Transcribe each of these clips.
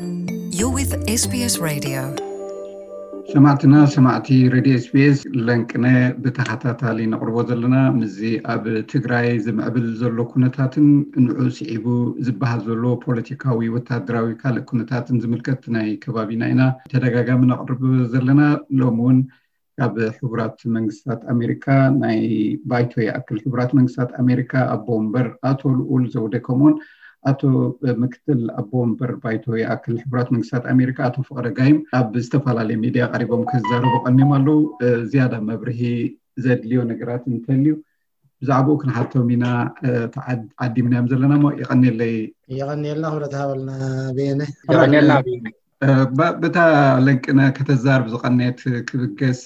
You're with S B S Radio. ሰማዕትና ሰማዕቲ ሬድዮ ኤስቢኤስ፣ ለንቅነ ብተኸታታሊ ነቕርቦ ዘለና ምስዚ ኣብ ትግራይ ዝምዕብል ዘሎ ኩነታትን ንዑ ስዒቡ ዝበሃል ዘሎ ፖለቲካዊ፣ ወታደራዊ፣ ካልእ ኩነታትን ዝምልከት ናይ ከባቢና ኢና ተደጋጋሚ ነቕርብ ዘለና። ሎም እውን ካብ ሕቡራት መንግስታት ኣሜሪካ ናይ ባይቶ ይኣክል ሕቡራት መንግስታት ኣሜሪካ ኣቦ ወንበር ኣቶ ልኡል ዘውደ፣ ከምኡውን ኣቶ ምክትል ኣቦ ወንበር ባይቶ ይኣክል ሕቡራት መንግስታት ኣሜሪካ ኣቶ ፍቕረ ጋይም ኣብ ዝተፈላለዩ ሚድያ ቀሪቦም ክዛረቡ ቀኒዮም ኣለዉ። ዝያዳ መብርሂ ዘድልዮ ነገራት እንተልዩ ብዛዕባኡ ክንሓቶም ኢና። ዓዲምናዮም ዘለና ሞ። የቐኒለይ። የቐኒልና ክብረት ሃበልና። ቤነ የቐኒልና ቤነ። ብታ ለንቅነ ከተዛርብ ዝቐነት ክብገስ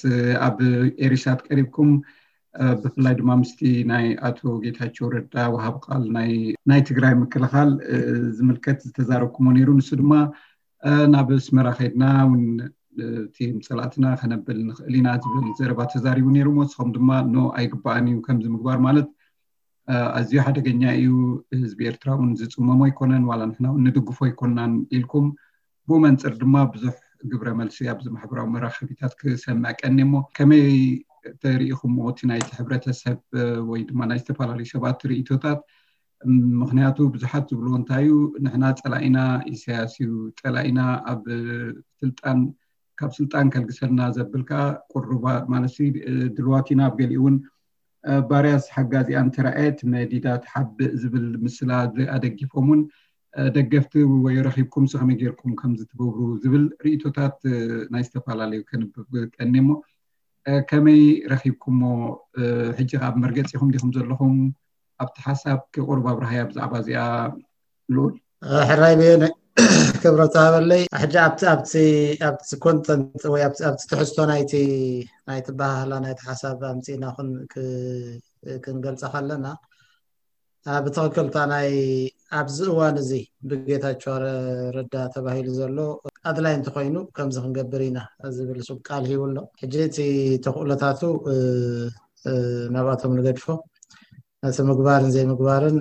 ኣብ ኤሪሳት ቀሪብኩም፣ ብፍላይ ድማ ምስቲ ናይ ኣቶ ጌታቸው ረዳ ወሃብ ቃል ናይ ትግራይ ምክልኻል ዝምልከት ዝተዛረብኩሞ ነይሩ። ንሱ ድማ ናብ ኣስመራ ከይድና እውን እቲ ምፅላእትና ከነብል ንኽእል ኢና ዝብል ዘረባ ተዛሪቡ ነይሩ። ንስኹም ድማ ኖ፣ ኣይግባእን እዩ ከምዚ ምግባር ማለት ኣዝዩ ሓደገኛ እዩ፣ ህዝቢ ኤርትራ እውን ዝፅመሞ ኣይኮነን፣ ዋላ ንሕና እውን ንድግፎ ኣይኮናን ኢልኩም፣ ብኡ መንፅር ድማ ብዙሕ ግብረ መልሲ ኣብዚ ማሕበራዊ መራኸቢታት ክሰምዕ ቀኒ። እሞ ከመይ ተሪኢኹምዎ እቲ ናይቲ ሕብረተሰብ ወይ ድማ ናይ ዝተፈላለዩ ሰባት ርእይቶታት? ምኽንያቱ ብዙሓት ዝብልዎ እንታይ እዩ፣ ንሕና ፀላኢና ኢሳያስ እዩ፣ ፀላኢና ኣብ ስልጣን ካብ ስልጣን ከልግሰልና ዘብል ከዓ ቁሩባ ማለት ድልዋት ኢና። ኣብ ገሊኡ እውን ባርያስ ሓጋዚኣን ተራእየት መዲዳ ትሓብእ ዝብል ምስላ ኣደጊፎም እውን ደገፍቲ ወይ ረኺብኩም ከመይ ጌርኩም ከምዚ ትገብሩ ዝብል ርእይቶታት ናይ ዝተፈላለዩ ከንብብ ቀኒ። እሞ ከመይ ረኺብኩሞ? ሕጂ ካብ መርገፂኹም ዲኹም ዘለኹም? ኣብቲ ሓሳብ ክቁርብ ኣብርሃያ ብዛዕባ እዚኣ ልኡል። ሕራይ ቤነ ክብረት ሃበለይ። ሕጂ ኣብቲ ኣብቲ ኣብቲ ኮንተንት ወይ ኣብቲ ኣብቲ ትሕዝቶ ናይቲ ናይቲ ባህላ ናይቲ ሓሳብ ኣምጺእና ኩን ክ- ክንገልጻ ከለና ብትኽክልታ ናይ ኣብዚ እዋን እዚ ብጌታቸው ረ- ረዳ ተባሂሉ ዘሎ ኣድላይ እንተኮይኑ ከምዚ ክንገብር ኢና ዝብል ሱብ ቃል ሂቡ ኣሎ። ሕጂ እቲ ተኽእሎታቱ እ- እ- ናብኣቶም ንገድፎ። እቲ ምግባርን ዘይምግባርን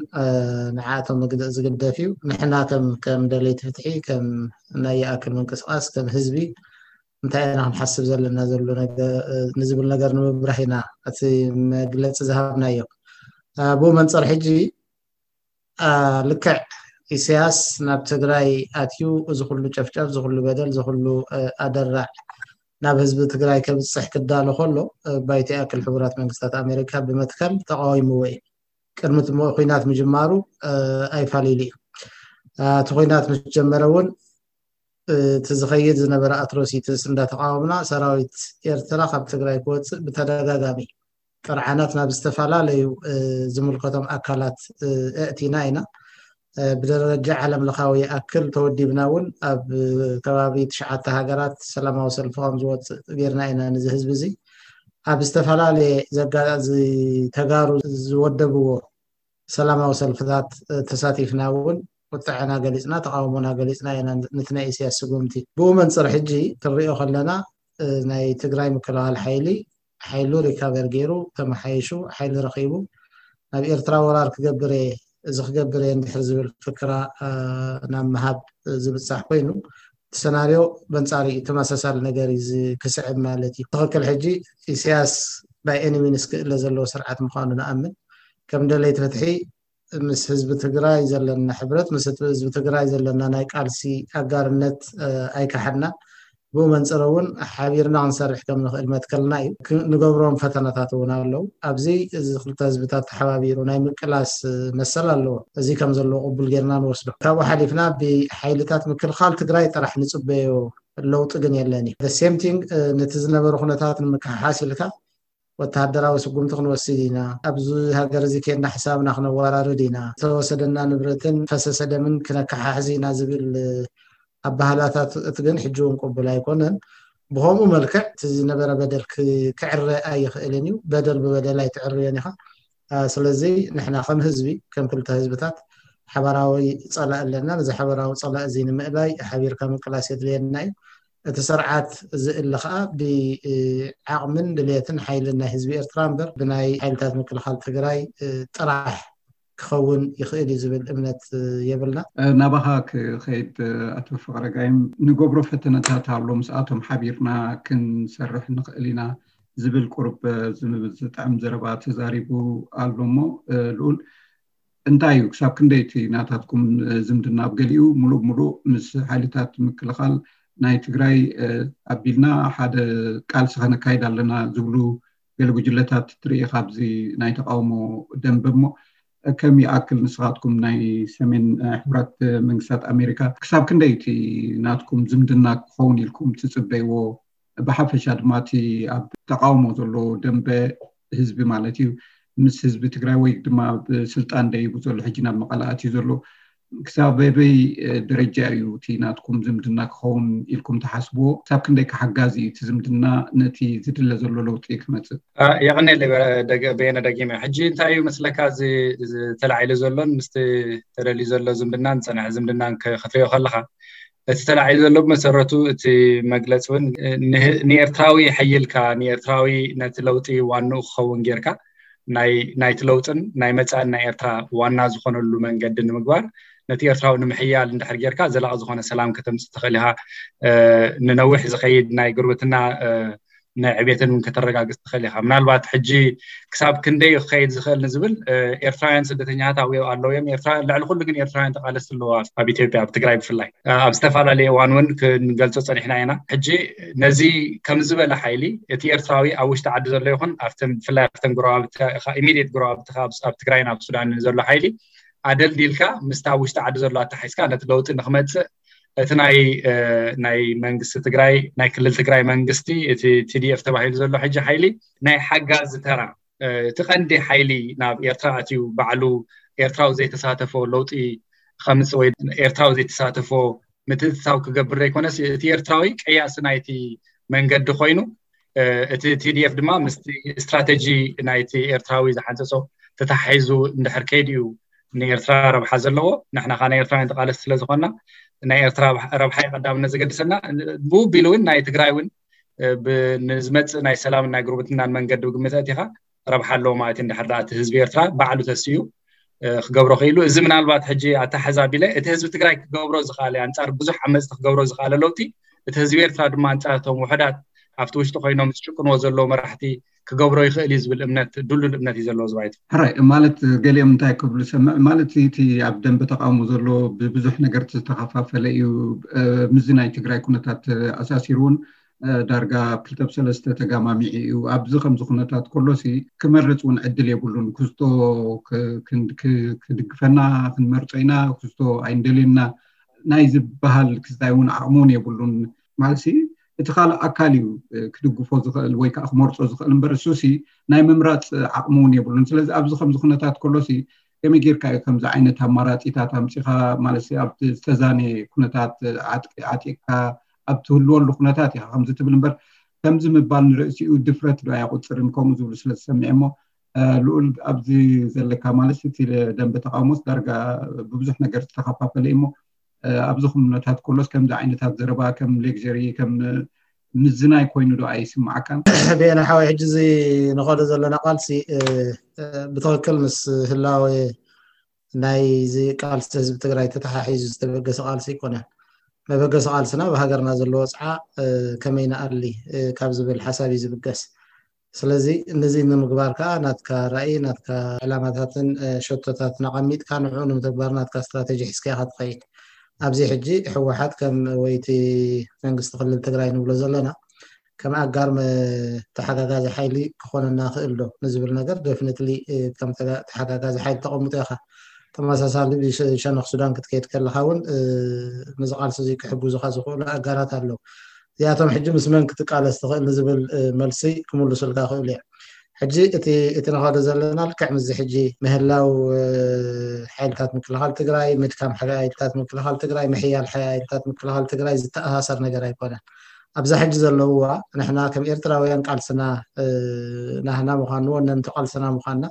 ንዓቶም ዝግደፍ እዩ። ንሕና ከም ከም ደለይቲ ፍትሒ ከም ናይ ይኣክል ምንቅስቃስ ከም ህዝቢ እንታይ ኢና ክንሓስብ ዘለና ዘሎ ንዝብል ነገር ንምብራህ ኢና እቲ መግለፂ ዝሃብናዮ። ብኡ መንፅር ሕጂ ልክዕ ኢሳያስ ናብ ትግራይ ኣትዩ እዚ ኩሉ ጨፍጨፍ፣ እዚ ኩሉ በደል፣ እዚ ኩሉ ኣደራዕ ናብ ህዝቢ ትግራይ ከብፅሕ ክዳሎ ከሎ ባይቶ ይኣክል ሕቡራት መንግስታት ኣሜሪካ ብመትከል ተቃዊምዎ እዩ። ቅድሚ እቲ ኩናት ምጅማሩ ኣይፋሊሉ እዩ። እቲ ኩናት ምስ ጀመረ እውን እቲ ዝኸይድ ዝነበረ ኣትሮሲትስ እንዳተቃወምና ሰራዊት ኤርትራ ካብ ትግራይ ክወፅእ ብተደጋጋሚ ጥርዓናት ናብ ዝተፈላለዩ ዝምልከቶም ኣካላት ኣእቲና ኢና። ብደረጃ ዓለም ለኻዊ ይኣክል ተወዲብና እውን ኣብ ከባቢ ትሽዓተ ሃገራት ሰላማዊ ሰልፊ ከም ዝወፅእ ጌርና ኢና። ነዚ ህዝቢ እዚ ኣብ ዝተፈላለየ ዘጋዚ ተጋሩ ዝወደብዎ ሰላማዊ ሰልፍታት ተሳቲፍና እውን ቁጥዐና ገሊፅና ተቃውሞና ገሊፅና ኢና። ንቲ ናይ ኢሳያስ ስጉምቲ ብኡ መንፅር ሕጂ ክንሪኦ ከለና ናይ ትግራይ ምክልኻል ሓይሊ ሓይሉ ሪካቨር ገይሩ ተመሓይሹ ሓይሊ ረኺቡ ናብ ኤርትራ ወራር ክገብር እየ እዚ ክገብር እየ እንድሕር ዝብል ፍክራ ናብ ምሃብ ዝብፃሕ ኮይኑ እቲ ሰናርዮ በንፃሪ ተመሳሳሊ ነገር እዩ ክስዕብ ማለት እዩ። ትኽክል ሕጂ ኢሳያስ by any means ክእለ ዘለዎ ስርዓት ምዃኑ ንኣምን። ከም ደለይቲ ፍትሒ ምስ ህዝቢ ትግራይ ዘለና ሕብረት ምስ ህዝቢ ትግራይ ዘለና ናይ ቃልሲ ኣጋርነት ኣይከሓድና። ብኡ መንፅር እውን ሓቢርና ክንሰርሕ ከም ንኽእል መትከልና እዩ። ንገብሮም ፈተናታት እውን ኣለዉ። ኣብዚ እዚ ክልተ ህዝብታት ተሓባቢሩ ናይ ምቅላስ መሰል ኣለዎ። እዚ ከም ዘለዎ ቅቡል ጌርና ንወስዶ። ካብኡ ሓሊፍና ብሓይልታት ምክልኻል ትግራይ ጥራሕ ንፅበዮ ለውጢ ግን የለን እዩ። ሴም ቲንግ ነቲ ዝነበረ ኩነታት ንምክሕሓስ ኢልካ ወተሃደራዊ ስጉምቲ ክንወስድ ኢና፣ ኣብዚ ሃገር እዚ ኬድና ሕሳብና ክነወራርድ ኢና፣ ዝተወሰደና ንብረትን ፈሰሰ ደምን ክነከሓሕዝ ኢና ዝብል ኣባህላታት እቲ ግን ሕጂ እውን ቅቡል ኣይኮነን። ብከምኡ መልክዕ እቲ ዝነበረ በደል ክዕረ ኣይኽእልን እዩ። በደል ብበደል ኣይትዕርዮን ኢኻ። ስለዚ ንሕና ከም ህዝቢ ከም ክልተ ህዝብታት ሓበራዊ ፀላእ ኣለና። ነዚ ሓበራዊ ፀላእ እዚ ንምእላይ ሓቢርካ ምቅላስ የድልየና እዩ። እቲ ስርዓት ዝእለ ከዓ ብዓቕምን ድልየትን ሓይልን ናይ ህዝቢ ኤርትራ እምበር ብናይ ሓይልታት ምክልኻል ትግራይ ጥራሕ ክኸውን ይኽእል እዩ ዝብል እምነት የብልና። ናባኻ ክኸይድ ኣቶ ፍቕረ ጋይም፣ ንገብሮ ፈተነታት ኣሎ፣ ምስኣቶም ሓቢርና ክንሰርሕ ንኽእል ኢና ዝብል ቁርብ ዝጥዕም ዘረባ ተዛሪቡ ኣሎ። እሞ ልኡል፣ እንታይ እዩ ክሳብ ክንደይ እቲ ናታትኩም ዝምድና ኣብ ገሊኡ ሙሉእ ብሙሉእ ምስ ሓይልታት ምክልኻል ናይ ትግራይ ኣቢልና ሓደ ቃልሲ ከነካይድ ኣለና ዝብሉ ገለ ጉጅለታት ትርኢ ካብዚ ናይ ተቃውሞ ደንበ? እሞ ከም ይኣክል ንስኻትኩም ናይ ሰሜን ሕቡራት መንግስታት ኣሜሪካ ክሳብ ክንደይ እቲ ናትኩም ዝምድና ክኸውን ኢልኩም ትፅበይዎ? ብሓፈሻ ድማ እቲ ኣብ ተቃውሞ ዘሎ ደንበ ህዝቢ ማለት እዩ ምስ ህዝቢ ትግራይ ወይ ድማ ብስልጣን ደይቡ ዘሎ ሕጂ ናብ መቐለ ኣትዩ ዘሎ ክሳብ በበይ ደረጃ እዩ እቲ ናትኩም ዝምድና ክኸውን ኢልኩም ትሓስብዎ? ክሳብ ክንደይ ሓጋዚ እዩ እቲ ዝምድና ነቲ ዝድለ ዘሎ ለውጢ ክመፅእ? የቐኔለይ በየነ፣ ደጊመ ሕጂ እንታይ እዩ መስለካ፣ ተላዒሉ ዘሎን ምስቲ ተደልዩ ዘሎ ዝምድናን ዝፀንሐ ዝምድናን ክትሪኦ ከለካ፣ እቲ ተላዒሉ ዘሎ ብመሰረቱ እቲ መግለፂ እውን ንኤርትራዊ ሓይልካ፣ ንኤርትራዊ ነቲ ለውጢ ዋንኡ ክኸውን ጌርካ ናይቲ ለውጥን ናይ መፃእን ናይ ኤርትራ ዋና ዝኾነሉ መንገዲ ንምግባር፣ ነቲ ኤርትራዊ ንምሕያል እንድሕር ጌርካ ዘላቂ ዝኾነ ሰላም ከተምፅእ ትኽእል ኢኻ። ንነዊሕ ዝኸይድ ናይ ጉርብትና ናይ ዕቤትን እውን ከተረጋግፅ ትኽእል ኢኻ። ምናልባት ሕጂ ክሳብ ክንደይ ክኸይድ ዝኽእል ንዝብል፣ ኤርትራውያን ስደተኛታት ኣብኡ ኣለዉ እዮም። ኤርትራውያን፣ ልዕሊ ኩሉ ግን ኤርትራውያን ተቓለስቲ ኣለዉ ኣብ ኢትዮጵያ፣ ኣብ ትግራይ ብፍላይ። ኣብ ዝተፈላለየ እዋን እውን ክንገልፆ ፀኒሕና ኢና። ሕጂ ነዚ ከም ዝበለ ሓይሊ እቲ ኤርትራዊ ኣብ ውሽጢ ዓዲ ዘሎ ይኹን ኣብተን፣ ብፍላይ ኣብተን ጎረባብቲ፣ ኢሚድየት ጎረባብቲ ኣብ ትግራይን ኣብ ሱዳንን ዘሎ ሓይሊ ኣደልዲልካ ምስቲ ኣብ ውሽጢ ዓዲ ዘሎ ኣተሓሒዝካ ነቲ ለውጢ ንክመፅእ እቲ ናይ ናይ መንግስቲ ትግራይ፣ ናይ ክልል ትግራይ መንግስቲ፣ እቲ ቲ ዲ ኤፍ ተባሂሉ ዘሎ ሕጂ ሓይሊ ናይ ሓጋዚ ተራ፣ እቲ ቀንዲ ሓይሊ ናብ ኤርትራ ኣትዩ ባዕሉ ኤርትራዊ ዘይተሳተፎ ለውጢ ከምፅእ ወይ ኤርትራዊ ዘይተሳተፎ ምትእትታው ክገብር ዘይኮነስ፣ እቲ ኤርትራዊ ቀያሲ ናይቲ መንገዲ ኮይኑ፣ እቲ ቲ ዲ ኤፍ ድማ ምስቲ ስትራተጂ ናይቲ ኤርትራዊ ዝሓንፀፆ ተተሓሒዙ እንድሕር ከይዱ እዩ ንኤርትራ ረብሓ ዘለዎ። ንሕና ከኣ ናይ ኤርትራውያን ተቓለስቲ ስለ ዝኾንና፣ ናይ ኤርትራ ረብሓ እዩ ቀዳምነት ዘገድሰና። ብኡ ኣቢሉ እውን ናይ ትግራይ እውን ንዝመፅእ ናይ ሰላምን ናይ ጉርብትናን መንገዲ ብግምት ኣእቲኻ ረብሓ ኣለዎ ማለት እዩ። እንድሕር ደኣ እቲ ህዝቢ ኤርትራ ባዕሉ ተሲኡ ክገብሮ ክኢሉ፣ እዚ ምናልባት ሕጂ ኣተሓሕዛ ኣቢለ እቲ ህዝቢ ትግራይ ክገብሮ ዝኸኣለ፣ ኣንጻር ብዙሕ ዓመጽቲ ክገብሮ ዝኸኣለ ለውጢ፣ እቲ ህዝቢ ኤርትራ ድማ ኣንጻር እቶም ውሑዳት ኣብቲ ውሽጢ ኮይኖም ዝጭቁንዎ ዘለዉ መራሕቲ ክገብሮ ይኽእል እዩ ዝብል እምነት፣ ድሉል እምነት እዩ ዘለዎ ዝባይቱ። ሕራይ፣ ማለት ገሊኦም እንታይ ክብሉ ሰምዕ፣ ማለት እቲ ኣብ ደንበ ተቃውሞ ዘሎ ብብዙሕ ነገር ዝተኸፋፈለ እዩ። ምስዚ ናይ ትግራይ ኩነታት ኣሳሲሩ እውን ዳርጋ ክልተ ብሰለስተ ተጋማሚዑ እዩ። ኣብዚ ከምዚ ኩነታት ከሎሲ ክመርፅ እውን ዕድል የብሉን። ክስቶ ክድግፈና ክንመርፆ ኢና፣ ክስቶ ኣይንደልየና ናይ ዝበሃል ክስታይ እውን ዓቕሚ እውን የብሉን። ማለትሲ እቲ ካልእ ኣካል እዩ ክድግፎ ዝኽእል ወይ ከዓ ክመርፆ ዝኽእል እምበር እሱሲ ናይ ምምራፅ ዓቕሚ እውን የብሉን። ስለዚ ኣብዚ ከምዚ ኩነታት ከሎሲ ከመይ ጌርካ እዩ ከምዚ ዓይነት ኣማራፂታት ኣምፂኻ ማለት ኣብ ዝተዛነየ ኩነታት ዓጢቅካ ኣብ ትህልወሉ ኩነታት ኢኻ ከምዚ ትብል እምበር ከምዚ ምባል ንርእሲኡ ድፍረት ዶ ኣየቁፅርን ከምኡ ዝብሉ ስለ ዝሰምዐ እሞ ልኡል ኣብዚ ዘለካ ማለት እቲ ደንበ ተቃውሞስ ዳርጋ ብብዙሕ ነገር ዝተኸፋፈለ እሞ ኣብዚ ኩነታት ከሎስ ከምዚ ዓይነታት ዘረባ ከም ሌክጀሪ ከም ምዝናይ ኮይኑ ዶ ኣይስምዓካን? ብየነ ሓወይ ሕጂ እዚ ንኸዶ ዘለና ቃልሲ ብትኽክል ምስ ህላወ ናይዚ ቃልሲ ህዝቢ ትግራይ ተተሓሒዙ ዝተበገሰ ቃልሲ ኣይኮነን። መበገሲ ቃልስና ብሃገርና ዘሎ ወፅዓ ከመይ ንኣሊ ካብ ዝብል ሓሳብ እዩ ዝብገስ። ስለዚ ነዚ ንምግባር ከዓ ናትካ ራእይ፣ ናትካ ዕላማታትን ሸቶታትን ኣቐሚጥካ ንዕኡ ንምትግባር ናትካ ስትራተጂ ሒዝካ ኢኻ ትኸይድ። ኣብዚ ሕጂ ህወሓት ከም ወይቲ መንግስቲ ክልል ትግራይ ንብሎ ዘለና ከም ኣጋር ተሓጋጋዚ ሓይሊ ክኾነና ክእል ዶ ንዝብል ነገር ደፍኒትሊ ከም ተሓጋጋዚ ሓይሊ ተቐምጦ ኢኻ። ተመሳሳሊ ብሸነኽ ሱዳን ክትከይድ ከለኻ እውን ነዚ ቃልሲ እዚ ክሕግዙኻ ዝኽእሉ ኣጋራት ኣለዉ። እዚኣቶም ሕጂ ምስ መን ክትቃለስ ትኽእል ንዝብል መልሲ ክምልሱልካ ክእሉ እዮም። ሕጂ እቲ እቲ ንኸዶ ዘለና ልክዕ ምስዚ ሕጂ ምህላው ሓይልታት ምክልኻል ትግራይ፣ ምድካም ሓይልታት ምክልኻል ትግራይ፣ ምሕያል ሓይልታት ምክልኻል ትግራይ ዝተኣሳሰር ነገር ኣይኮነን። ኣብዛ ሕጂ ዘለውዋ ንሕና ከም ኤርትራውያን ቃልስና ናህና ምዃኑ ወነንቲ ቃልስና ምዃንና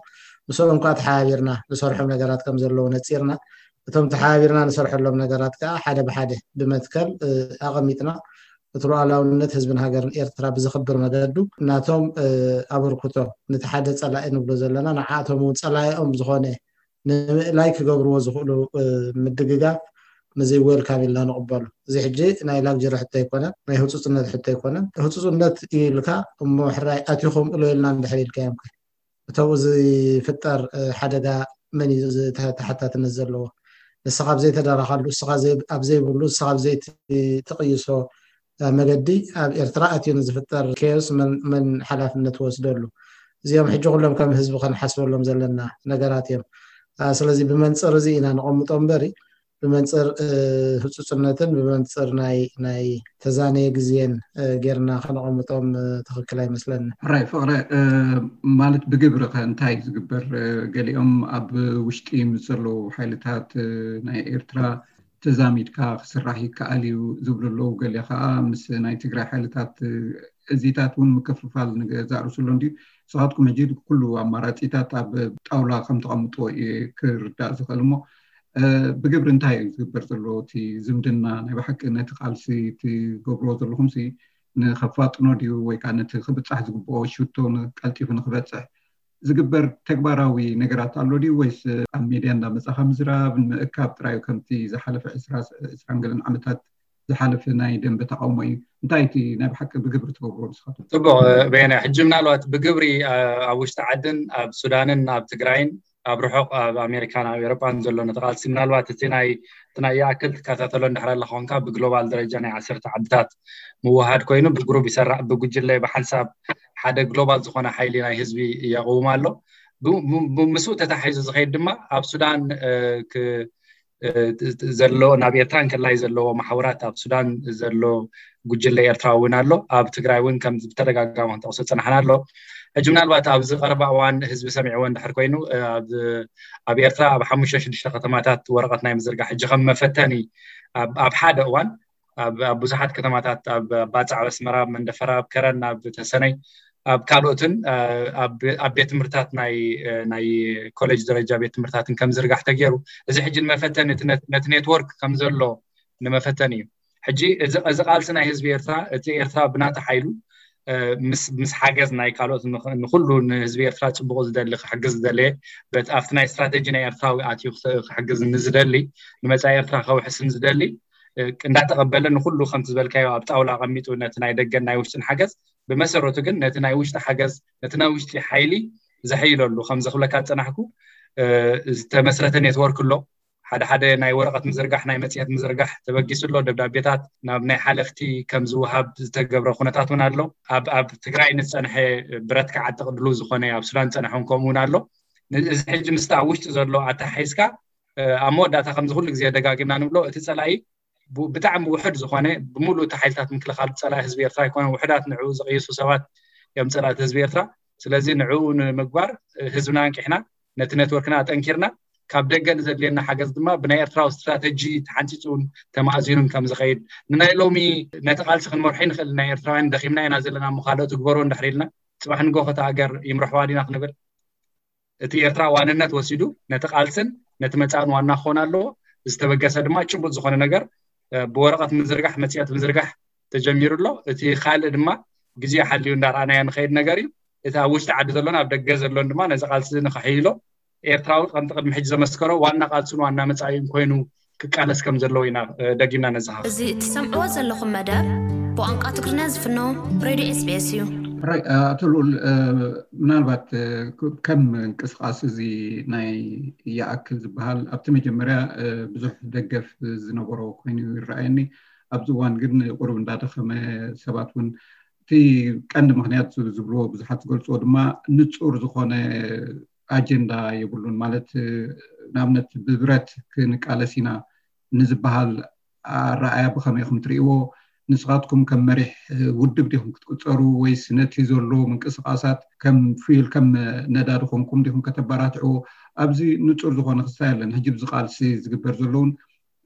ምስኦም ከዓ ተሓባቢርና ንሰርሖም ነገራት ከም ዘለዉ ነፂርና እቶም ተሓባቢርና ንሰርሐሎም ነገራት ከዓ ሓደ ብሓደ ብመትከል ኣቐሚጥና እቲ ሉዓላውነት ህዝብን ሃገርን ኤርትራ ብዘኽብር መገዱ ናቶም ኣበርክቶ ነቲ ሓደ ፀላኢ ንብሎ ዘለና ንዓኣቶም እውን ፀላኢኦም ዝኾነ ንምእላይ ክገብርዎ ዝኽእሉ ምድግጋፍ፣ ነዚ ዌልካም ኢልና ንቕበሉ። እዚ ሕጂ ናይ ላግጀሪ ሕቶ ኣይኮነን፣ ናይ ህፁፅነት ሕቶ ኣይኮነን። ህፁፅነት ኢልካ እሞ ሕራይ ኣትዩ ከምኡ ኢልና እንድሕር ኢልካዮም ከ እተብኡ ዝፍጠር ሓደጋ መን እዩ ተሓታትነት ዘለዎ? ንስኻ ኣብ ዘይተደረኻሉ፣ ንስኻ ኣብ ዘይብሉ፣ ንስኻ ኣብ ዘይትቕይሶ መገዲ ኣብ ኤርትራ ኣትዩ ንዝፍጠር ኬዮስ መን ሓላፍነት ወስደሉ? እዚኦም ሕጂ ኩሎም ከም ህዝቢ ከንሓስበሎም ዘለና ነገራት እዮም። ስለዚ ብመንፅር እዚ ኢና ነቐምጦ እምበሪ ብመንፅር ህፁፅነትን ብመንፅር ናይ ናይ ተዛነየ ግዜን ጌርና ከነቐምጦም ትኽክል ኣይመስለኒ። ሕራይ ፍቕረ፣ ማለት ብግብሪ ከ እንታይ ዝግበር? ገሊኦም ኣብ ውሽጢ ምስ ዘለዉ ሓይልታት ናይ ኤርትራ ተዛሚድካ ክስራሕ ይከኣል እዩ ዝብሉ ኣለዉ። ገለ ከዓ ምስ ናይ ትግራይ ሓይልታት እዚታት እውን ምክፍፋል ንገዛእ ርእሱ ኣሎ እንድዩ። ንስኻትኩም ሕጂ ኩሉ ኣማራፂታት ኣብ ጣውላ ከም ተቐምጥዎ እየ ክርዳእ ዝኽእል። እሞ ብግብሪ እንታይ እዩ ዝግበር ዘሎ? እቲ ዝምድና ናይ ብሓቂ ነቲ ቃልሲ ትገብርዎ ዘለኹም ሲ ንኸፋጥኖ ድዩ ወይ ከዓ ነቲ ክብፃሕ ዝግብኦ ሽቶ ቀልጢፉ ንክበፅሕ ዝግበር ተግባራዊ ነገራት ኣሎ ድዩ? ወይስ ኣብ ሜድያ እንዳመፃኻ ምዝራብ ንምእካብ ጥራዩ? ከምቲ ዝሓለፈ ዕስራን ገለን ዓመታት ዝሓለፈ ናይ ደንበ ተቃውሞ እዩ። እንታይ እቲ ናይ ብሓቂ ብግብሪ ትገብሮ ንስኻትኩም? ፅቡቕ በየነ፣ ሕጂ ምናልባት ብግብሪ ኣብ ውሽጢ ዓድን ኣብ ሱዳንን ኣብ ትግራይን ኣብ ርሑቕ ኣብ ኣሜሪካን ኣብ ኤሮጳን ዘሎ ነቲ ቃልሲ ምናልባት እቲ ናይ እቲ ናይ ይኣክል ትከታተሎ እንድሕር ኣለኻ ኮንካ ብግሎባል ደረጃ ናይ ዓሰርተ ዓድታት ምውሃድ ኮይኑ ብግሩብ ይሰራዕ፣ ብጉጅለ ብሓንሳብ ሓደ ግሎባል ዝኾነ ሓይሊ ናይ ህዝቢ የቕውም ኣሎ። ምስኡ ተታሒዙ ዝኸይድ ድማ ኣብ ሱዳን ዘሎ ናብ ኤርትራ እንከላይ ዘለዎ ማሕበራት ኣብ ሱዳን ዘሎ ጉጅለ ኤርትራዊ እውን ኣሎ። ኣብ ትግራይ እውን ከም ብተደጋጋሚ ክንጠቕሶ ዝፀናሕና ኣሎ። ሕጂ ምናልባት ኣብዚ ቀረባ እዋን ህዝቢ ሰሚዕዎ እንድሕር ኮይኑ ኣብ ኤርትራ ኣብ ሓሙሽተ ሽዱሽተ ከተማታት ወረቐት ናይ ምዝርጋሕ ሕጂ ከም መፈተኒ ኣብ ሓደ እዋን ኣብ ብዙሓት ከተማታት ኣብ ባፅዕ፣ ኣብ ኣስመራ፣ ኣብ መንደፈራ፣ ኣብ ከረን፣ ኣብ ተሰነይ፣ ኣብ ካልኦትን ኣብ ቤት ትምህርታት ናይ ኮሌጅ ደረጃ ቤት ትምህርታትን ከም ዝርጋሕ ተገይሩ። እዚ ሕጂ ንመፈተኒ ነቲ ኔትወርክ ከም ዘሎ ንመፈተኒ እዩ። ሕጂ እዚ ቃልሲ ናይ ህዝቢ ኤርትራ፣ እቲ ኤርትራ ብናታ ሓይሉ ምስ ሓገዝ ናይ ካልኦት፣ ንኩሉ ንህዝቢ ኤርትራ ፅቡቕ ዝደሊ፣ ክሕግዝ ዝደለየ፣ ኣብቲ ናይ ስትራቴጂ ናይ ኤርትራዊ ኣትዩ ክሕግዝ ንዝደሊ፣ ንመፃኢ ኤርትራ ከውሕስ ንዝደሊ እንዳተቐበለ ንኩሉ ከምቲ ዝበልካዮ ኣብ ጣውላ ኣቐሚጡ ነቲ ናይ ደገን ናይ ውሽጥን ሓገዝ ብመሰረቱ ግን ነቲ ናይ ውሽጢ ሓገዝ፣ ነቲ ናይ ውሽጢ ሓይሊ ዘሐይለሉ፣ ከም ዘኽብለካ ዝፀናሕኩ ዝተመስረተ ኔትወርክ ኣሎ። ሓደ ሓደ ናይ ወረቐት ምዝርጋሕ፣ ናይ መፅሄት ምዝርጋሕ ተበጊሱ ኣሎ። ደብዳቤታት ናብ ናይ ሓለፍቲ ከም ዝወሃብ ዝተገብረ ኩነታት እውን ኣሎ። ኣብ ትግራይ ንዝፀንሐ ብረት ክዓጥቕ ድሉው ዝኾነ ኣብ ሱዳን ዝፀንሐ እውን ከምኡ እውን ኣሎ። እዚ ሕጂ ምስቲ ኣብ ውሽጢ ዘሎ ኣተሓሒዝካ ኣብ መወዳእታ ከምዚ ኩሉ ግዜ ደጋጊምና ንብሎ እቲ ፀላኢ ብጣዕሚ ውሑድ ዝኾነ ብምሉእ እቲ ሓይልታት ምክልኻል ፀላኢ ህዝቢ ኤርትራ ኣይኮነን። ውሑዳት ንዕኡ ዝቕይሱ ሰባት እዮም ፀላእቲ ህዝቢ ኤርትራ። ስለዚ ንዕኡ ንምግባር ህዝብና ኣንቂሕና ነቲ ኔትወርክና ኣጠንኪርና ካብ ደገ ንዘድልየና ሓገዝ ድማ ብናይ ኤርትራዊ ስትራተጂ ተሓንፂፁን ተማእዚኑን ከም ዝኸይድ ንናይ ሎሚ ነቲ ቃልሲ ክንመርሖ ይንኽእል። ናይ ኤርትራውያን ደኺምና ኢና ዘለና እሞ ካልኦት ግበሮ እንድሕር ኢልና ፅባሕ ንጎ ከታ ሃገር ይምርሕዋ ዲና ክንብል እቲ ኤርትራ ዋንነት ወሲዱ ነቲ ቃልስን ነቲ መጻእን ዋና ክኾን ኣለዎ። ዝተበገሰ ድማ ጭቡጥ ዝኾነ ነገር ብወረቐት ምዝርጋሕ፣ መጽሔት ምዝርጋሕ ተጀሚሩ ኣሎ። እቲ ካልእ ድማ ግዜ ሓልዩ እንዳረኣናዮ ንኸይድ ነገር እዩ። እቲ ኣብ ውሽጢ ዓዲ ዘሎን ኣብ ደገ ዘሎን ድማ ነዚ ቃልሲ ንኸሕይሎ ኤርትራዊ ከምቲ ቅድሚ ሕጂ ዘመስከሮ ዋና ቃልሱን ዋና መጻኢኡን ኮይኑ ክቃለስ ከም ዘለዎ ኢና ደጊምና ነዝኻ። እዚ እትሰምዕዎ ዘለኹም መደብ ብቋንቋ ትግርኛ ዝፍኖ ሬድዮ ኤስቢኤስ እዩ። ራይ፣ ኣቶ ልኡል፣ ምናልባት ከም ምንቅስቃስ እዚ ናይ ይኣክል ዝበሃል ኣብቲ መጀመርያ ብዙሕ ደገፍ ዝነበሮ ኮይኑ ይረኣየኒ። ኣብዚ እዋን ግን ቁሩብ እንዳደኸመ፣ ሰባት እውን እቲ ቀንዲ ምኽንያት ዝብልዎ ብዙሓት ዝገልፅዎ ድማ ንፁር ዝኾነ ኣጀንዳ የብሉን። ማለት ንኣብነት ብብረት ክንቃለስ ኢና ንዝበሃል ኣረኣያ ብኸመይ ኢኹም ትርእይዎ? ንስኻትኩም ከም መሪሕ ውድብ ዲኹም ክትቁፀሩ ወይስ ነቲ ዘሎ ምንቅስቃሳት ከም ፊል ከም ነዳዲ ኮንኩም ዲኹም ከተባራትዕዎ? ኣብዚ ንፁር ዝኾነ ክስታይ ኣለን። ሕጂ ብዚ ቃልሲ ዝግበር ዘለውን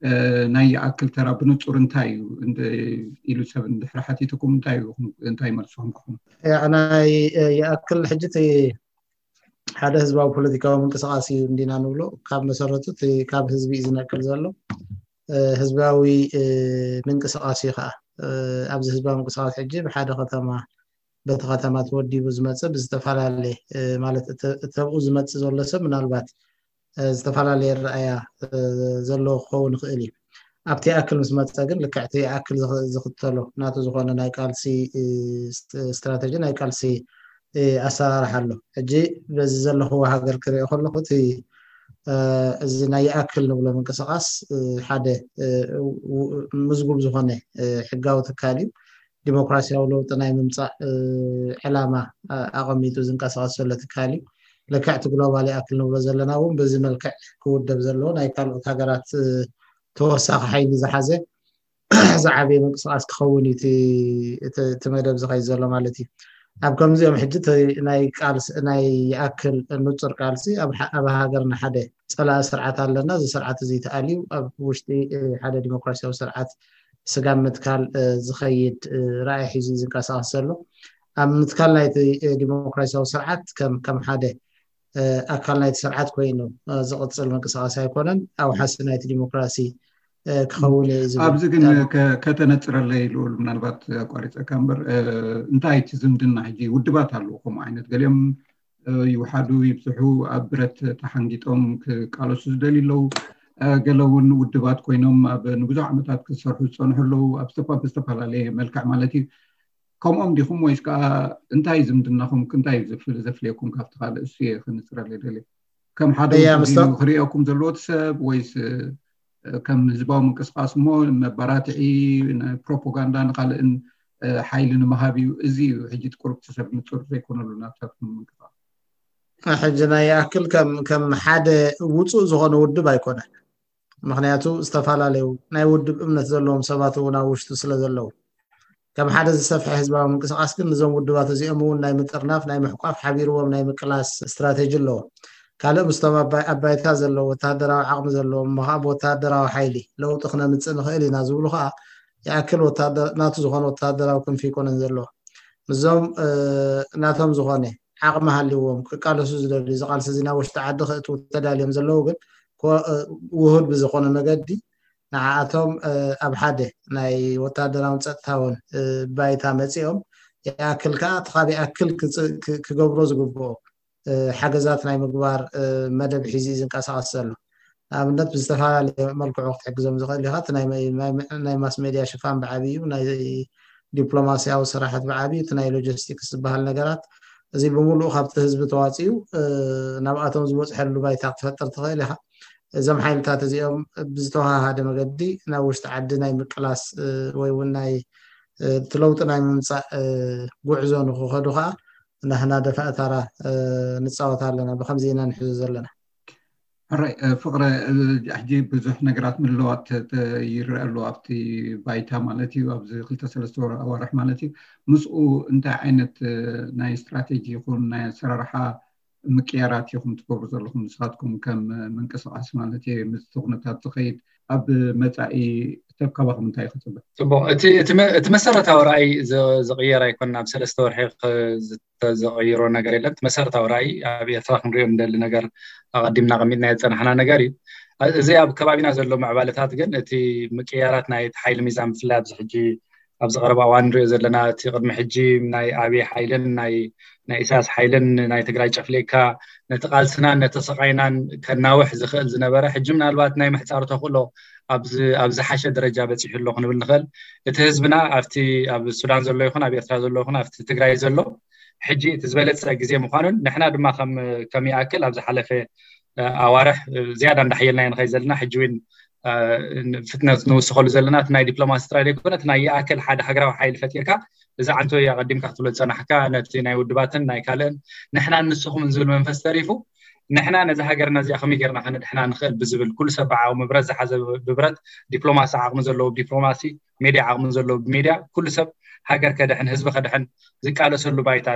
ናይ ይኣክል ተራ ብንፁር እንታይ እዩ ኢሉ ሰብ እንድሕሪ ሓቲትኩም እንታይ መልስኹም ክኹም? ናይ ይኣክል ሕጂ ሓደ ህዝባዊ ፖለቲካዊ ምንቅስቃስ እዩ እንዲና ንብሎ። ካብ መሰረቱ እቲ ካብ ህዝቢ እዩ ዝነቅል ዘሎ። ህዝባዊ ምንቅስቃስ እዩ ከዓ። ኣብዚ ህዝባዊ ምንቅስቃስ ሕጂ ብሓደ ከተማ በቲ ከተማ ተወዲቡ ዝመፅእ ብዝተፈላለየ ማለት እተብኡ ዝመፅእ ዘሎ ሰብ ምናልባት ዝተፈላለየ ኣረኣእያ ዘለዎ ክኸውን ይኽእል እዩ። ኣብቲ ይኣክል ምስ መፀ ግን ልክዕቲ ይኣክል ዝኽተሎ ናቱ ዝኾነ ናይ ቃልሲ ስትራተጂ፣ ናይ ቃልሲ ኣሰራርሓ ኣሎ። ሕጂ በዚ ዘለኽዎ ሃገር ክሪኦ ከለኹ እቲ እዚ ናይ ይኣክል ንብሎ ምንቅስቃስ ሓደ ምዝጉብ ዝኾነ ሕጋዊ ትካል እዩ። ዲሞክራሲያዊ ለውጢ ናይ ምምፃእ ዕላማ ኣቐሚጡ ዝንቀሳቀስ ዘሎ ትካል እዩ። ልክዕቲ ግሎባል ይኣክል ንብሎ ዘለና እውን በዚ መልክዕ ክውደብ ዘለዎ ናይ ካልኦት ሃገራት ተወሳኺ ሓይሊ ዝሓዘ ዝዓበየ ምንቅስቃስ ክኸውን እዩ እቲ መደብ ዝኸይድ ዘሎ ማለት እዩ። ኣብ ከምዚኦም ሕጂ ናይ ቃልሲ ናይ ይኣክል ንፁር ቃልሲ ኣብ ሃገርና ሓደ ፀላኢ ስርዓት ኣለና። እዚ ስርዓት እዚ ተኣልዩ ኣብ ውሽጢ ሓደ ዲሞክራሲያዊ ስርዓት ስጋብ ምትካል ዝኸይድ ራእይ ሒዙ ዝንቀሳቀስ ዘሎ። ኣብ ምትካል ናይቲ ዲሞክራሲያዊ ስርዓት ከም ሓደ ኣካል ናይቲ ስርዓት ኮይኑ ዝቕፅል ምንቅስቃስ ኣይኮነን። ኣውሓሲ ናይቲ ዲሞክራሲ ክኸውን እዩ ዝብል። ኣብዚ ግን ከተነፅረለይ ልኡል፣ ምናልባት ኣቋሪፀካ እምበር፣ እንታይ እቲ ዝምድና ሕጂ ውድባት ኣለዉ ከምኡ ዓይነት ገሊኦም ይውሓዱ ይብዝሑ ኣብ ብረት ተሓንጊጦም ክቃለሱ ዝደልዩ ኣለዉ። ገለ እውን ውድባት ኮይኖም ኣብ ንብዙሕ ዓመታት ክሰርሑ ዝፀንሑ ኣለዉ፣ ኣብ ዝተፈላለየ መልክዕ ማለት እዩ። ከምኦም ዲኹም ወይስ ከዓ እንታይ ዝምድናኹም እንታይ ዘፍልየኩም ካብቲ ካልእ? እሱ እየ ክንፅረለ ደልየ። ከም ሓደ ክሪኦኩም ዘለዎ ሰብ ወይስ ከም ህዝባዊ ምንቅስቃስ እሞ መባራትዒ ፕሮፓጋንዳ ንካልእን ሓይሊ ንምሃብ እዩ? እዚ እዩ ሕጂ ቁሩብ ሰብ ንፁር ዘይኮነሉ ናብታትኩም ምንቅስቃስ። ሕጂ ናይ ይኣክል ከም ሓደ ውፁእ ዝኾነ ውድብ ኣይኮነን። ምክንያቱ ዝተፈላለዩ ናይ ውድብ እምነት ዘለዎም ሰባት እውን ኣብ ውሽጡ ስለ ዘለዉ፣ ከም ሓደ ዝሰፍሐ ህዝባዊ ምንቅስቃስ ግን ንዞም ውድባት እዚኦም እውን ናይ ምጥርናፍ ናይ ምሕቋፍ ሓቢርዎም ናይ ምቅላስ ስትራቴጂ ኣለዎ። ካልእ ምስቶም ኣባይታ ዘለዉ ወታደራዊ ዓቕሚ ዘለዎም እሞ ከዓ ብወታደራዊ ሓይሊ ለውጢ ክነምፅእ ንኽእል ኢና ዝብሉ ከዓ ይኣክል ናቱ ዝኾነ ወታደራዊ ክንፊ ይኮነን ዘለዎ። ምስዞም ናቶም ዝኾነ ዓቕሚ ሃልዎም ክቃለሱ ዝደልዩ ዝቃልሲ እዚ ናብ ውሽጢ ዓዲ ክእትዉ ተዳልዮም ዘለዉ ግን ውሁድ ብዝኾነ መገዲ ንዓኣቶም ኣብ ሓደ ናይ ወታደራውን ፀጥታውን ባይታ መፂኦም ይኣክል ከዓ እቲ ካብ ይኣክል ክገብሮ ዝግብኦ ሓገዛት ናይ ምግባር መደብ ሒዙ እዩ ዝንቀሳቀስ ዘሎ። ንኣብነት ብዝተፈላለየ መልክዑ ክትሕግዞም ዝኽእል ኢኻ። እቲ ናይ ማስ ሜድያ ሽፋን ብዓብዩ፣ ናይ ዲፕሎማሲያዊ ስራሓት ብዓብዩ፣ እቲ ናይ ሎጂስቲክስ ዝበሃል ነገራት እዚ ብምሉእ ካብቲ ህዝቢ ተዋፂኡ ናብኣቶም ዝበፅሐሉ ባይታ ክትፈጥር ትኽእል ኢኻ። እዞም ሓይልታት እዚኦም ብዝተወሃሃደ መገዲ ናብ ውሽጢ ዓዲ ናይ ምቅላስ ወይ እውን ናይ እቲ ለውጢ ናይ ምምፃእ ጉዕዞ ንክኸዱ ከዓ ናህና ደፋእታራ ንፃወት ኣለና። ብከምዚ ኢና ንሕዞ ዘለና። ሕራይ ፍቅረ፣ ሕጂ ብዙሕ ነገራት ምልዋጥ ይረአ ኣሎ ኣብቲ ባይታ ማለት እዩ፣ ኣብዚ ክልተ ሰለስተ ኣዋርሕ ማለት እዩ። ምስኡ እንታይ ዓይነት ናይ ስትራቴጂ ይኹን ናይ ኣሰራርሓ ምቅያራት ኢኹም ትገብሩ ዘለኹም ንስኻትኩም ከም ምንቅስቃስ ማለት እዩ፣ ምስቲ ኩነታት ዝኸይድ ኣብ መፃኢ ሰብ ካባኹም እንታይ ክፅበ? ፅቡቅ፣ እቲ መሰረታዊ ራእይ ዝቅየር ኣይኮን። ኣብ ሰለስተ ወርሒ ዘቀይሮ ነገር የለን። እቲ መሰረታዊ ራእይ ኣብ ኤርትራ ክንሪኦ እንደሊ ነገር ኣቀዲምና ቀሚጥና የፀናሕና ነገር እዩ። እዚ ኣብ ከባቢና ዘሎ ምዕባለታት ግን እቲ ምቅያራት ናይ ሓይሊ ሚዛን ብፍላይ ኣብዚ ሕጂ ኣብዚ ቀረባ እዋን ንሪኦ ዘለና እቲ ቅድሚ ሕጂ ናይ ኣብይ ሓይልን ናይ ናይ ኢሳያስ ሓይልን ናይ ትግራይ ጨፍሊቅካ ነቲ ቃልስናን ነቲ ስቃይናን ከናውሕ ዝኽእል ዝነበረ ሕጂ ምናልባት ናይ ምሕፃር ተኽእሎ ኣብ ዝሓሸ ደረጃ በፂሑ ኣሎ ክንብል ንኽእል። እቲ ህዝብና ኣብቲ ኣብ ሱዳን ዘሎ ይኹን ኣብ ኤርትራ ዘሎ ይኹን ኣብቲ ትግራይ ዘሎ ሕጂ እቲ ዝበለፀ ግዜ ምዃኑን ንሕና ድማ ከም ይኣክል ኣብ ዝሓለፈ ኣዋርሕ ዝያዳ እንዳሓየልናዮ ንኸይድ ዘለና ሕጂ እውን ፍጥነት ንውስኸሉ ዘለና እቲ ናይ ዲፕሎማሲ ጥራይ ዘይኮነ እቲ ናይ ይኣክል ሓደ ሃገራዊ ሓይሊ ፈጢርካ እዚ ዓንቶ ኣቀዲምካ ክትብሎ ዝፀናሕካ ነቲ ናይ ውድባትን ናይ ካልእን ንሕናን ንስኹምን ዝብል መንፈስ ተሪፉ ንሕና ነዚ ሃገርና እዚኣ ከመይ ጌርና ከነድሕና ንኽእል ብዝብል ኩሉ ሰብ ብዓቕሙ ብረት ዝሓዘ ብብረት ዲፕሎማሲ ዓቕሚ ዘለዎ ብዲፕሎማሲ ሜድያ ዓቕሚ ዘለዎ ብሜድያ ኩሉ ሰብ ሃገር ከድሕን ህዝቢ ከድሕን ዝቃለሰሉ ባይታ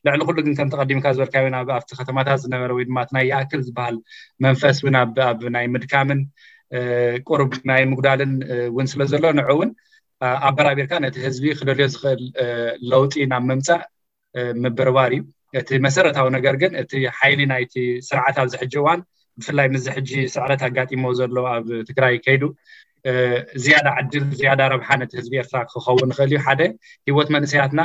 ልዕሊ ኩሉ ግን ከምቲ ቀዲምካ ዝበልካዮ ናብ ኣብቲ ከተማታት ዝነበረ ወይ ድማ ናይ ይኣክል ዝበሃል መንፈስ እውን ኣብ ናይ ምድካምን ቁሩብ ናይ ምጉዳልን እውን ስለ ዘሎ ንዑ እውን ኣበራቢርካ ነቲ ህዝቢ ክደልዮ ዝኽእል ለውጢ ናብ ምምፃእ ምብርባር እዩ። እቲ መሰረታዊ ነገር ግን እቲ ሓይሊ ናይቲ ስርዓት ኣብዚ ሕጂ እዋን ብፍላይ ምስዚ ሕጂ ስዕረት ኣጋጢሞ ዘሎ ኣብ ትግራይ ከይዱ ዝያዳ ዕድል ዝያዳ ረብሓ ነቲ ህዝቢ ኤርትራ ክኸውን ይኽእል እዩ። ሓደ ሂወት መንእሰያትና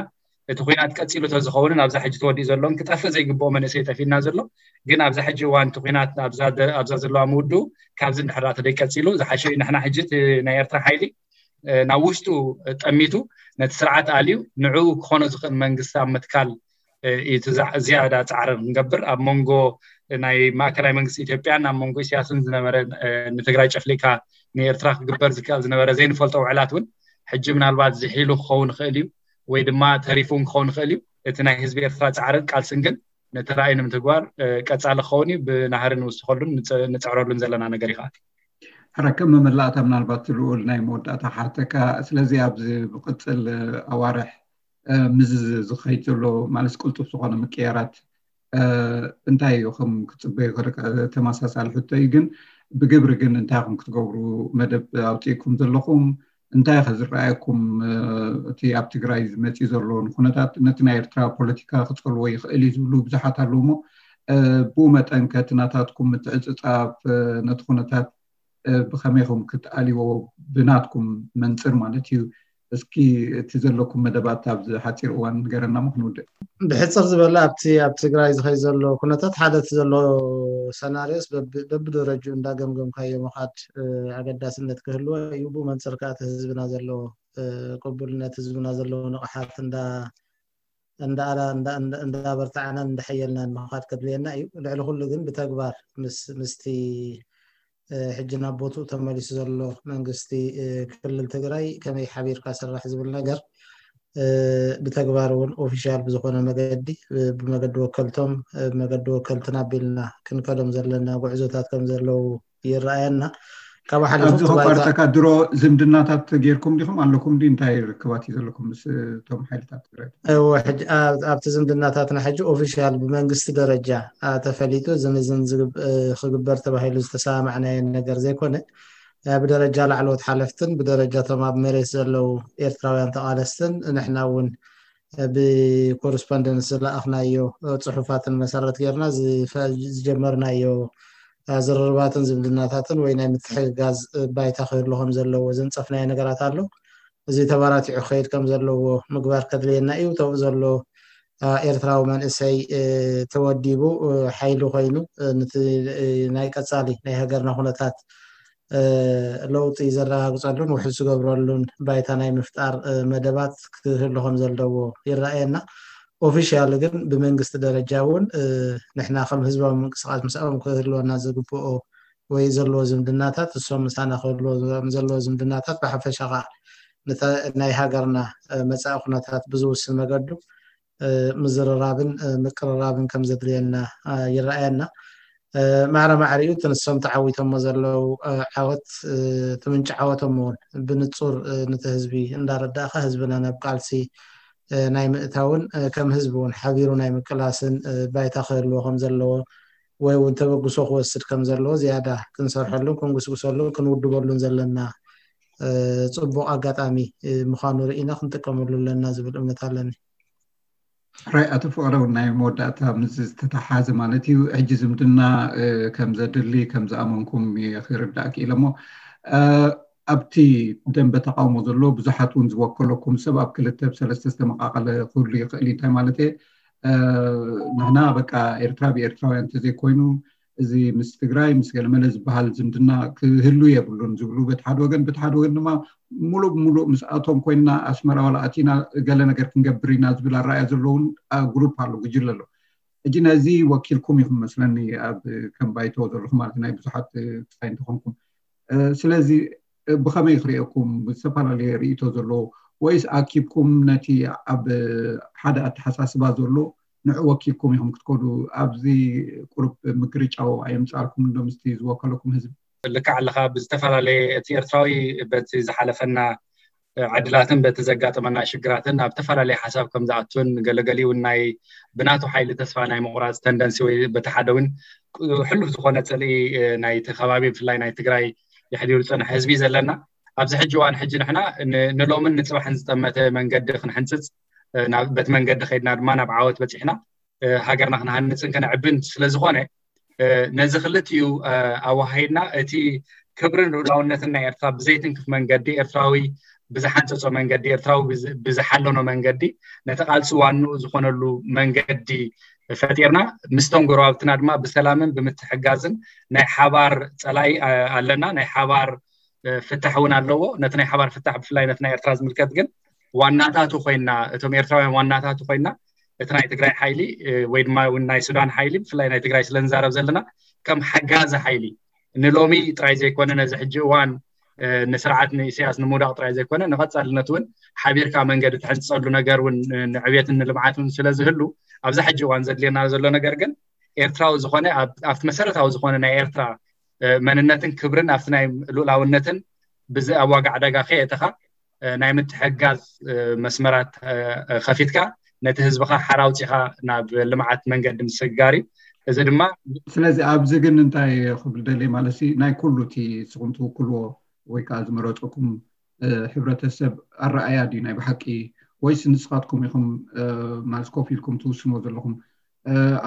እቲ ኩናት ቀፂሉ ተዝኸውንን ኣብዛ ሕጂ ተወዲኡ ዘሎን ክጠፍእ ዘይግብኦ መንእሰይ ጠፊእና ዘሎ። ግን ኣብዛ ሕጂ እዋን እቲ ኩናት ኣብዛ ዘለዋ ምውድኡ ካብዚ እንድሕር ተደይ ቀፂሉ ዝሓሸ እዩ። ንሕና ሕጂ ናይ ኤርትራ ሓይሊ ናብ ውሽጡ ጠሚቱ ነቲ ስርዓት ኣልዩ ንዕኡ ክኾኖ ዝኽእል መንግስቲ ኣብ ምትካል ዝያዳ ፃዕሪ ክንገብር ኣብ መንጎ ናይ ማእከላይ መንግስቲ ኢትዮጵያን ኣብ መንጎ ኢሳያስን ዝነበረ ንትግራይ ጨፍሊካ ንኤርትራ ክግበር ዝከኣል ዝነበረ ዘይንፈልጦ ውዕላት እውን ሕጂ ምናልባት ዝሒሉ ክኸውን ይኽእል እዩ ወይ ድማ ተሪፉን ክኸውን ይኽእል እዩ። እቲ ናይ ህዝቢ ኤርትራ ፃዕርን ቃልስን ግን ነቲ ራእይ ንምትግባር ቀፃሊ ክኸውን እዩ። ብናህሪ ንውስኸሉን ንፅዕረሉን ዘለና ነገር ይኸኣል። ሕረከም መመላእታ ምናልባት ልኡል ናይ መወዳእታ ክሓተካ። ስለዚ ኣብዚ ብቅፅል ኣዋርሕ ምዝ ዝኸይድ ዘሎ ማለት ቅልጡፍ ዝኾነ ምቅያራት እንታይ እዩ ከም ክፅበዩ ተመሳሳሊ ሕቶ እዩ። ግን ብግብሪ ግን እንታይ ከም ክትገብሩ መደብ ኣውፅእኩም ዘለኹም እንታይ ከ ዝረኣየኩም እቲ ኣብ ትግራይ ዝመፅእ ዘሎ ንኩነታት ነቲ ናይ ኤርትራ ፖለቲካ ክፀልዎ ይኽእል እዩ ዝብሉ ብዙሓት ኣለዉ። እሞ ብኡ መጠን ከ እቲ ናታትኩም ምትዕፅፃፍ ነቲ ኩነታት ብኸመይ ከም ክትኣልዎ ብናትኩም መንፅር ማለት እዩ። እስኪ እቲ ዘለኩም መደባት ኣብዚ ሓፂር እዋን ንገረና ሞ ክንውድእ። ብሕፅር ዝበለ ኣብቲ ኣብ ትግራይ ዝኸይ ዘሎ ኩነታት ሓደ እቲ ዘሎ ሰናሪዮስ በብደረጅኡ እንዳገምገምካዮ ምኻድ ኣገዳስነት ክህልዎ እዩ። ብኡ መንፅር ከዓ እቲ ህዝብና ዘለዎ ቅቡልነት ህዝብና ዘለዎ ንቕሓት እንዳኣላ እንዳበርታዕናን እንዳሐየልናን ምኻድ ከድልየና እዩ። ልዕሊ ኩሉ ግን ብተግባር ምስቲ ሕጂ ናብ ቦትኡ ተመሊሱ ዘሎ መንግስቲ ክልል ትግራይ ከመይ ሓቢርካ ስራሕ ዝብል ነገር ብተግባር እውን ኦፊሻል ብዝኾነ መገዲ ብመገዲ ወከልቶም ብመገዲ ወከልትና ኣቢልና ክንከዶም ዘለና ጉዕዞታት ከም ዘለዉ ይረኣየና። ካብ ሓሊፉ ኣብዚ ከቋርጠካ ድሮ ዝምድናታት ጌርኩም ዲኹም ኣለኩም ዲ እንታይ ርክባት እዩ ዘለኩም ምስ እቶም ሓይልታት ትግራይ? እወ፣ ሕጂ ኣብቲ ዝምድናታትና ሕጂ ኦፊሻል ብመንግስቲ ደረጃ ተፈሊጡ ዝምዝን ክግበር ተባሂሉ ዝተሰማማዕናዮ ነገር ዘይኮነ ብደረጃ ላዕለዎት ሓለፍትን ብደረጃ እቶም ኣብ መሬት ዘለዉ ኤርትራውያን ተቓለስትን ንሕና እውን ብኮረስፖንደንስ ዝለኣኽናዮ ፅሑፋትን መሰረት ጌርና ዝጀመርናዮ ዝርርባትን ዝምድናታትን ወይ ናይ ምትሕግጋዝ ባይታ ክህሉ ከም ዘለዎ ዘንፀፍናዮ ነገራት ኣሎ። እዚ ተባራቲዑ ክኸይድ ከም ዘለዎ ምግባር ከድልየና እዩ። ተብኡ ዘሎ ኤርትራዊ መንእሰይ ተወዲቡ ሓይሊ ኮይኑ ንቲ ናይ ቀፃሊ ናይ ሃገርና ኩነታት ለውጢ ዘረጋግፀሉን ውሕስ ዝገብረሉን ባይታ ናይ ምፍጣር መደባት ክህሉ ከም ዘለዎ ይረኣየና። ኦፊሻል ግን ብመንግስቲ ደረጃ እውን ንሕና ከም ህዝባዊ ምንቅስቃስ ምስኦም ክህልወና ዝግብኦ ወይ ዘለዎ ዝምድናታት እሶም ምሳና ክህልዎ ዘለዎ ዝምድናታት ብሓፈሻ ከዓ ናይ ሃገርና መፃኢ ኩነታት ብዝውስን መገዱ ምዝርራብን ምቅርራብን ከም ዘድልየና ይረኣየና። ማዕረ ማዕሪኡ እቲ ንሶም ተዓዊቶሞ ዘለዉ ዓወት እቲ ምንጪ ዓወቶም እውን ብንፁር ንቲ ህዝቢ እንዳረዳእካ ህዝብና ናብ ቃልሲ ናይ ምእታውን ከም ህዝቢ እውን ሓቢሩ ናይ ምቅላስን ባይታ ክህልዎ ከም ዘለዎ ወይ እውን ተበግሶ ክወስድ ከም ዘለዎ ዝያዳ ክንሰርሐሉን ክንጉስጉሰሉን ክንውድበሉን ዘለና ፅቡቅ ኣጋጣሚ ምዃኑ ርኢና ክንጥቀመሉ ኣለና ዝብል እምነት ኣለኒ። ራይ ኣቶ ፍቅረ ናይ መወዳእታ ምስ ዝተተሓዘ ማለት እዩ ሕጂ ዝምድና ከም ዘድሊ ከም ዝኣመንኩም ክርዳእ ክኢለ እሞ ኣብቲ ደንበ ተቃውሞ ዘሎ ብዙሓት እውን ዝወከለኩም ሰብ ኣብ ክልተ ብሰለስተ ዝተመቃቀለ ክህሉ ይኽእል እንታይ ማለት ንሕና በቃ ኤርትራ ብኤርትራውያን እንተዘይኮይኑ እዚ ምስ ትግራይ ምስ ገለመለ ዝበሃል ዝምድና ክህሉ የብሉን ዝብሉ በቲ ሓደ ወገን በቲ ሓደ ወገን ድማ ሙሉእ ብሙሉእ ምስኣቶም ኮይንና ኣስመራ ዋላ ኣቲና ገለ ነገር ክንገብር ኢና ዝብል ኣረኣያ ዘለውን ግሩፕ ኣሎ ጉጅለ ኣሎ። ሕጂ ነዚ ወኪልኩም ኢኹም መስለኒ ኣብ ከም ባይቶ ዘለኹም ማለት ናይ ብዙሓት ክስታይ እንተኾንኩም ስለዚ ብኸመይ ክርእየኩም ዝተፈላለየ ርእቶ ዘለዎ ወይስ ኣኪብኩም ነቲ ኣብ ሓደ ኣተሓሳስባ ዘሎ ንዑ ወኪልኩም ኢኹም ክትከዱ ኣብዚ ቁሩብ ምግርጫው ኣየምፃልኩም እንዶ ምስቲ ዝወከለኩም ህዝቢ? ልክዕ ኣለኻ። ብዝተፈላለየ እቲ ኤርትራዊ በቲ ዝሓለፈና ዕድላትን በቲ ዘጋጠመና ሽግራትን ኣብ ዝተፈላለየ ሓሳብ ከም ዝኣቱን ገለገሊ እውን ናይ ብናቱ ሓይሊ ተስፋ ናይ ምቑራፅ ተንደንሲ ወይ በቲ ሓደ እውን ሕሉፍ ዝኾነ ፅልኢ ናይቲ ከባቢ ብፍላይ ናይ ትግራይ የሕዲሩ ዝፀንሐ ህዝቢ ዘለና ኣብዚ ሕጂ እዋን ሕጂ ንሕና ንሎምን ንፅባሕን ዝጠመተ መንገዲ ክንሕንፅፅ በቲ መንገዲ ከይድና ድማ ናብ ዓወት በፂሕና ሃገርና ክንሃንፅን ከነዕብን ስለዝኾነ ነዚ ክልቲኡ ኣዋሃይድና እቲ ክብርን ልኡላውነትን ናይ ኤርትራ ብዘይትንክፍ መንገዲ ኤርትራዊ ብዝሓንፀፆ መንገዲ፣ ኤርትራዊ ብዝሓለኖ መንገዲ፣ ነቲ ቃልሲ ዋንኡ ዝኾነሉ መንገዲ ፈጢርና፣ ምስቶም ጎረባብትና ድማ ብሰላምን ብምትሕጋዝን ናይ ሓባር ፀላኢ ኣለና። ናይ ሓባር ፍታሕ እውን ኣለዎ። ነቲ ናይ ሓባር ፍታሕ፣ ብፍላይ ነቲ ናይ ኤርትራ ዝምልከት ግን ዋናታቱ ኮይና፣ እቶም ኤርትራውያን ዋናታቱ ኮይና፣ እቲ ናይ ትግራይ ሓይሊ ወይ ድማ እውን ናይ ሱዳን ሓይሊ፣ ብፍላይ ናይ ትግራይ ስለንዛረብ ዘለና፣ ከም ሓጋዚ ሓይሊ ንሎሚ ጥራይ ዘይኮነ፣ ነዚ ሕጂ እዋን ንስርዓት ንኢሳያስ ንምውዳቕ ጥራይ ዘይኮነ፣ ንቐጻልነት እውን ሓቢርካ መንገዲ ትሕንጸሉ ነገር እውን ንዕቤትን ንልምዓትን ስለ ዝህሉ፣ ኣብዚ ሕጂ እዋን ዘድልየና ዘሎ ነገር ግን ኤርትራዊ ዝኾነ፣ ኣብቲ መሰረታዊ ዝኾነ ናይ ኤርትራ መንነትን ክብርን፣ ኣብቲ ናይ ሉእላውነትን ብዘይ ኣዋጋ ዕዳጋ ከየእተኻ፣ ናይ ምትሕጋዝ መስመራት ከፊትካ፣ ነቲ ህዝብኻ ሓራ ኣውጺኻ ናብ ልምዓት መንገዲ ምስግጋር እዩ። እዚ ድማ ስለዚ ኣብዚ ግን እንታይ ክብል ደልየ ማለት ሲ፣ ናይ ኩሉ እቲ ንስኹም ትውክልዎ ወይ ከዓ ዝመረፀኩም ሕብረተሰብ ኣረኣያ ድዩ ናይ ብሓቂ፣ ወይስ ንስኻትኩም ኢኹም ማለት ኮፍ ኢልኩም ትውስንዎ ዘለኹም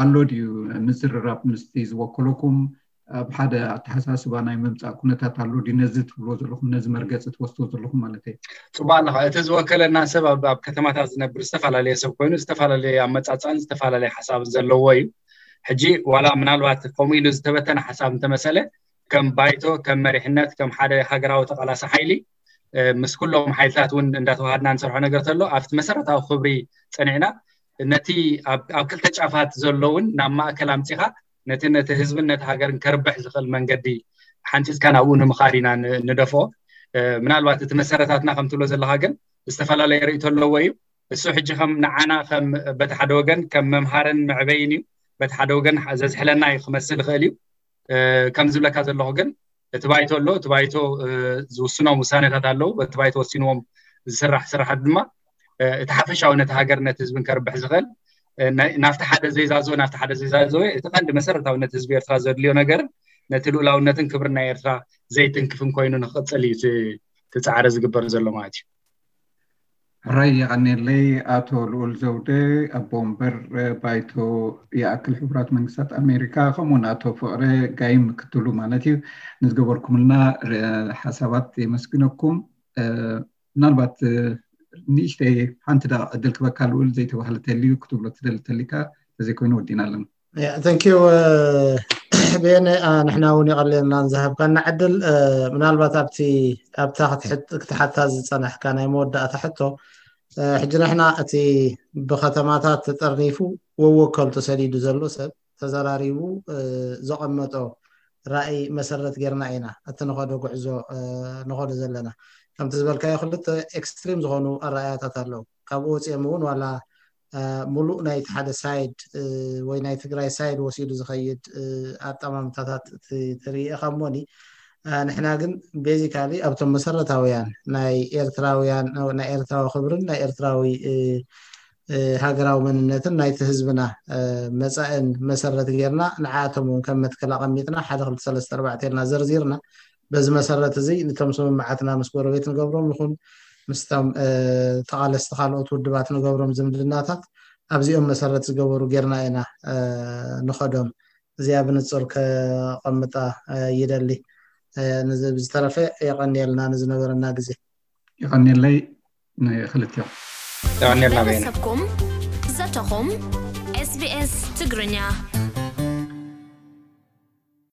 ኣሎ ድዩ ምዝርራብ ምስቲ ዝወከለኩም ኣብ ሓደ ኣተሓሳስባ ናይ ምምፃእ ኩነታት ኣሎ ድዩ? ነዚ ትብልዎ ዘለኹም፣ ነዚ መርገፂ ትወስድዎ ዘለኹም ማለት እዩ። ፅቡቅ ኣለኻ። እቲ ዝወከለና ሰብ ኣብ ከተማታት ዝነብር ዝተፈላለየ ሰብ ኮይኑ፣ ዝተፈላለየ ኣመፃፅኣን ዝተፈላለየ ሓሳብን ዘለዎ እዩ። ሕጂ ዋላ ምናልባት ከምኡ ኢሉ ዝተበተነ ሓሳብ እንተመሰለ፣ ከም ባይቶ፣ ከም መሪሕነት፣ ከም ሓደ ሃገራዊ ተቃላሲ ሓይሊ ምስ ኩሎም ሓይልታት እውን እንዳተዋሃድና ንሰርሖ ነገር ተሎ፣ ኣብቲ መሰረታዊ ክብሪ ፀኒዕና፣ ነቲ ኣብ ክልተ ጫፋት ዘለውን ናብ ማእከል ኣምፂኻ፣ ነቲ ነቲ ህዝብን ነቲ ሃገርን ከርብሕ ዝኽእል መንገዲ ሓንፂፅካ ናብኡ ንምኻድ ኢና ንደፍኦ። ምናልባት እቲ መሰረታትና ከም ትብሎ ዘለኻ ግን ዝተፈላለየ ርእይቶ ኣለዎ እዩ። እሱ ሕጂ ከም ንዓና ከም በቲ ሓደ ወገን ከም መምሃርን መዕበይን እዩ፣ በቲ ሓደ ወገን ዘዝሕለና እዩ ክመስል ይኽእል እዩ። ከም ዝብለካ ዘለኹ ግን እቲ ባይቶ ኣሎ። እቲ ባይቶ ዝውስኖም ውሳኔታት ኣለዉ። በቲ ባይቶ ወሲንዎም ዝስራሕ ስራሓት ድማ እቲ ሓፈሻዊ ነቲ ሃገር ነቲ ህዝብን ከርብሕ ዝኽእል ናብቲ ሓደ ዘይዛዘወ ናብቲ ሓደ ዘይዛዘወ፣ እቲ ቀንዲ መሰረታዊ ነቲ ህዝቢ ኤርትራ ዘድልዮ ነገር፣ ነቲ ልኡላውነትን ክብርን ናይ ኤርትራ ዘይትንክፍን ኮይኑ ንክቕፅል እዩ እቲ ፃዕሪ ዝግበር ዘሎ ማለት እዩ። ሕራይ የቐኔለይ ኣቶ ልኡል ዘውደ፣ ኣቦ ወንበር ባይቶ ይኣክል ሕቡራት መንግስታት ኣሜሪካ፣ ከምኡውን ኣቶ ፍቕረ ጋይ ምክትሉ ማለት እዩ፣ ንዝገበርኩምልና ሓሳባት የመስግነኩም። ምናልባት ንእሽተይ ሓንቲ ዳ ዕድል ክበካ ልኡል ዘይተባህለ ተልዩ ክትብሎ ትደሊ ተሊካ፣ ተዘይኮይኑ ወዲና ኣለና። ተንኪዩ ብየነ። ንሕና እውን የቐልየልና ዝሃብካና ዕድል። ምናልባት ኣብቲ ኣብታ ክትሓታ ዝፀናሕካ ናይ መወዳእታ ሕቶ፣ ሕጂ ንሕና እቲ ብከተማታት ተጠርኒፉ ወወከል ተሰዲዱ ዘሎ ሰብ ተዘራሪቡ ዘቐመጦ ራእይ መሰረት ጌርና ኢና እቲ ንኸዶ ጉዕዞ ንኸዶ ዘለና። ከምቲ ዝበልካዮ ክልተ ኤክስትሪም ዝኾኑ ኣረኣያታት ኣለዉ። ካብኡ ወፂኦም እውን ዋላ ሙሉእ ናይቲ ሓደ ሳይድ ወይ ናይ ትግራይ ሳይድ ወሲዱ ዝኸይድ ኣጠማምታታት ትርኢ ኢኻ እሞኒ፣ ንሕና ግን ቤዚካሊ ኣብቶም መሰረታውያን ናይ ኤርትራውያን ናይ ኤርትራዊ ክብርን ናይ ኤርትራዊ ሃገራዊ መንነትን ናይቲ ህዝብና መፃእን መሰረት ጌርና ንዓኣቶም እውን ከም መትከል ኣቐሚጥና ሓደ ክልተ ሰለስተ ኣርባዕተ ኢልና ዘርዚርና፣ በዚ መሰረት እዚ ንቶም ስምምዓትና ምስ ጎረቤት ንገብሮም ይኹን ምስቶም ተቓለስቲ ካልኦት ውድባት ንገብሮም ዝምድናታት ኣብዚኦም መሰረት ዝገበሩ ጌርና ኢና ንኸዶም። እዚኣ ብንፁር ከቐምጣ ይደሊ። ንዝተረፈ የቐንየልና ንዝነበረና ግዜ። የቐንየለይ ንክልቲኦም። የቐንየልና በየነ። ሰብኩም ዘተኹም SBS ትግርኛ።